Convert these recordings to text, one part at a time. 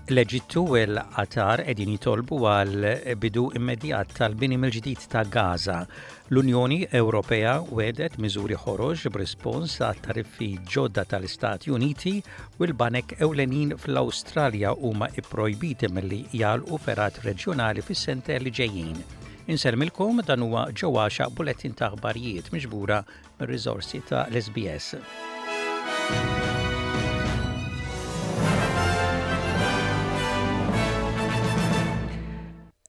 L-Eġittu u l-Qatar qegħdin jitolbu għal bidu immedjat tal-bini mill-ġdid ta' Gaza. L-Unjoni Ewropea wegħdet miżuri ħorox b'rispons għat tariffi ġodda tal-Istati Uniti u l-banek ewlenin fl-Awstralja huma ipprojbiti milli jagħlqu fergħat reġjonali fis-sentejn li ġejjin. Insellmilkom dan huwa Joe Għaxaq bulettin ta' aħbarijiet miġbura mir-riżorsi ta' l-SBS.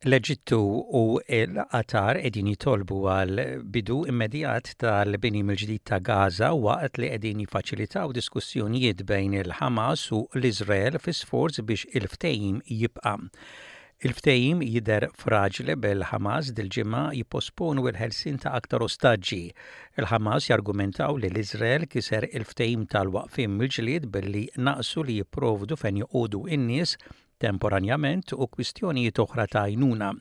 L-Eġittu u l-Qatar qegħdin jitolbu għal bidu immedjat tal-bini mill-ġdid ta' Gaza waqt li qegħdin jiffaċilitaw diskussjonijiet bejn il-Ħamas u l-Iżrael fi sforz biex il-ftehim jibqa'. Il-ftehim jidher fraġli bil-Ħamas dil-ġimgħa jipposponu l-ħelsien ta' aktar ostaġġi. Il-Ħamas jargumentaw li l-Iżrael kiser il-ftehim tal-waqfien mill-ġlied billi naqsu li jipprovdu fejn joqogħdu n-nies temporanjament u kwistjonijiet oħra ta' għajnuna.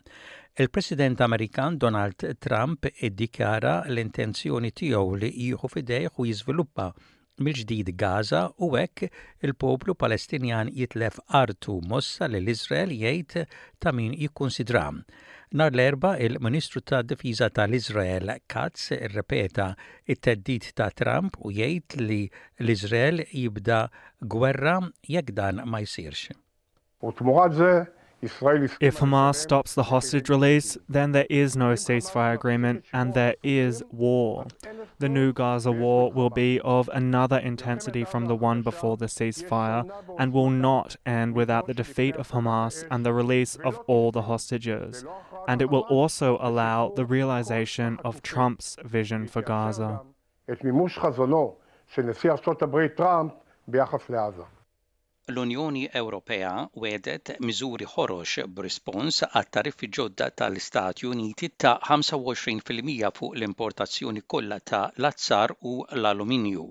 Il-President Amerikan Donald Trump iddikjara l-intenzjoni tiegħu li jieħu f'idejh u jiżviluppa mill-ġdid Gaza u hekk il-poplu Palestinjan jitlef artu, mossa li l-Iżrael jgħid ta' min jikkunsidra. Nhar l-Erbgħa, il-Ministru tad-Difiża tal-Iżrael Katz irrepeta t-theddid ta' Trump u jgħid li l-Iżrael jibda gwerra jekk dan ma jsirx. If Hamas stops the hostage release, then there is no ceasefire agreement and there is war. The new Gaza war will be of another intensity from the one before the ceasefire and will not end without the defeat of Hamas and the release of all the hostages. And it will also allow the realization of Trump's vision for Gaza. L-Unjoni Ewropea wegħdet miżuri ħorox b'rispons għat-tariffi ġodda tal-Istati Uniti ta' 25% fuq l-importazzjoni kollha ta' l-azzar u l-aluminju.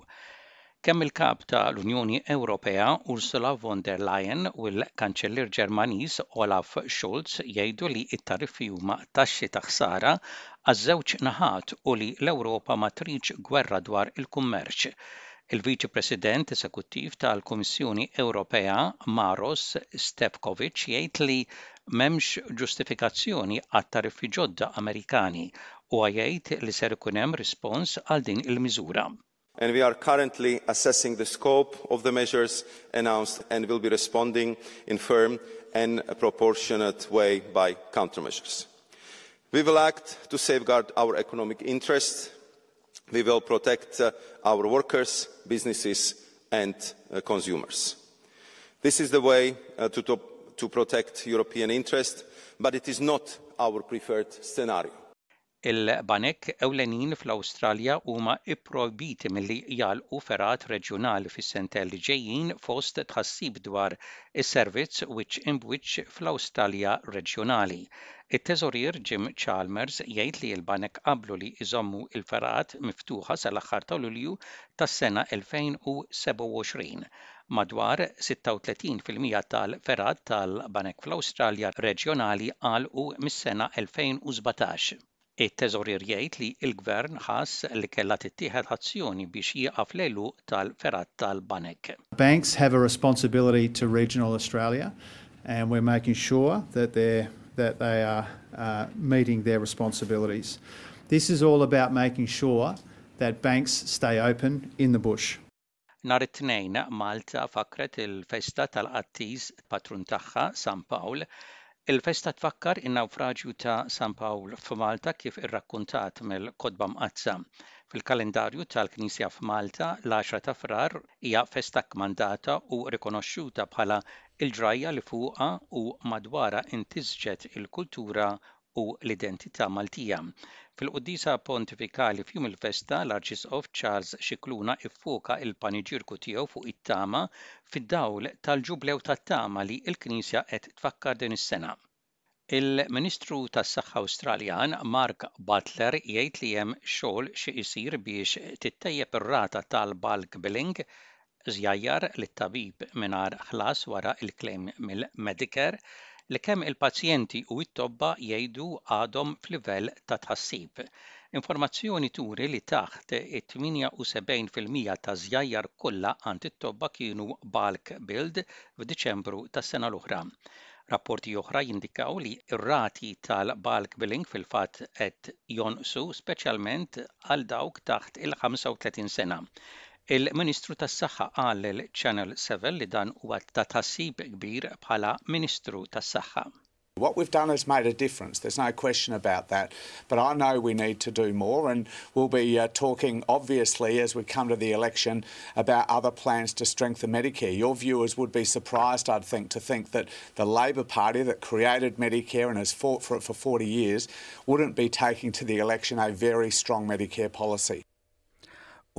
Kemm il-Kap ta' l-Unjoni Ewropea Ursula von der Leyen u l-Kanċellier Ġermaniż Olaf Scholz jgħidu li t-tariffi huma taxxi ta' ħsara għaż-żewġ naħat u li l-Ewropa ma tridx gwerra dwar il-kummerċ. Il-Viċi President Esekuttiv tal-Kummissjoni Ewropea Maros Sefcovic jgħid li m'hemmx ġustifikazzjoni għat-tariffi ġodda Amerikani. Huwa jgħid li ser ikun hemm rispons għal din il-miżura. And we are currently assessing the scope of the measures announced and will be responding in firm and proportionate way by countermeasures. We will act to safeguard our economic interests We will protect uh, our workers, businesses and uh, consumers. This is the way uh, to, to, to protect European interests, but it is not our preferred scenario. Il-banek ewlenin fl-Awstralja huma ipprojbiti milli jagħlqu fergħat reġjonali fis-sentejn li ġejjin fost tħassib dwar is-servizz wiċċ imb'wiċċ fl-Awstralja reġjonali. It-Teżorier Jim Chalmers jgħid li l-banek qablu li jżommu l-fergħat miftuħa sal-aħħar ta' Lulju tas-sena 2027. Madwar 36% tal-fergħat tal-banek fl-Awstralja reġjonali għalqu mis-sena 2017. It-Teżorier jgħid li l-Gvern ħass li kellha tittieħed azzjoni biex jieqaf l-għeluq tal-fergħat tal-banek. Banks have a responsibility to regional Australia and we're making sure that they're that they are uh, meeting their responsibilities. This is all about making sure that banks stay open in the bush. Nhar it-Tnejn, Malta fakkret il-festa tal-qaddis patrun tagħha, San Pawl. Il-festa tfakkar in-nawfraġju ta' San Pawl f'Malta kif irrakkuntat mill-Kotba Mqaddsa. Fil-kalendarju tal-Knisja f'Malta, l-għaxra ta' Frar hija festa kkmandata u rikonoxxuta bħala l-ġrajja li fuqha u madwarha intisġet il-kultura u l-identità Maltija. Fil-quddiesa pontifikali f'jum il-festa, l-Arċisqof Charles Scicluna ffoka l-paniġierku tiegħu fuq it-tama fid-dawl tal-Ġublew tat-Tama li l-Knisja qed tfakkar din is-sena. Il-Ministru tas-Saħħa Awstraljan Mark Butler jgħid li hemm xogħol xi jsir biex tittejjeb ir-rata tal-bulk billing, żjajjar lit-tabib mingħajr ħlas wara l-klejm mill-Medicare. li kemm il-pazjenti u t-tobba jgħidu għadhom f'livell ta' tħassib. Informazzjoni turi li taħt it-78% taż-żjajjar kollha għand it-tobba kienu bulk billed f'Diċembru tas-sena l-oħra. Rapporti oħra jindikaw li r-rati tal-bulk billing fil-fatt qed jonqsu speċjalment għal dawk taħt il-35 sena. Il-Ministru tas-Saħħa qal lil Channel 7 li dan huwa ta' tħassib kbir bħala Ministru tas-Saħħa. What we've done has made a difference, there's no question about that. But I know we need to do more, and we'll be uh, talking, obviously, as we come to the election, about other plans to strengthen Medicare. Your viewers would be surprised, I'd think, to think that the Labor Party that created Medicare and has fought for it for 40 years wouldn't be taking to the election a very strong Medicare policy.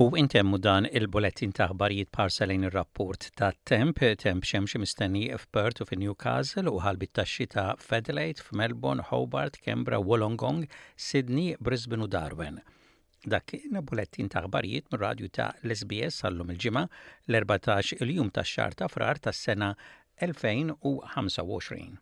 U intemmu dan il-bulettin ta' aħbarijiet b'ħarsa lejn ir-rapport tat-temp, temp xemxi mistenni f'Perth u fi Newcastle u ħalbiet tax-xita f'Adelaide, f'Melbourne, Hobart, Canberra, Wollongong, Sydney, Brisbane u Darwin. Dak kien bulettin ta' aħbarijiet mir-radju ta' l-SBS għal-lum il-Ġimgħa, l-14 il-jum tax-xahar ta' Frar tas-sena 2025.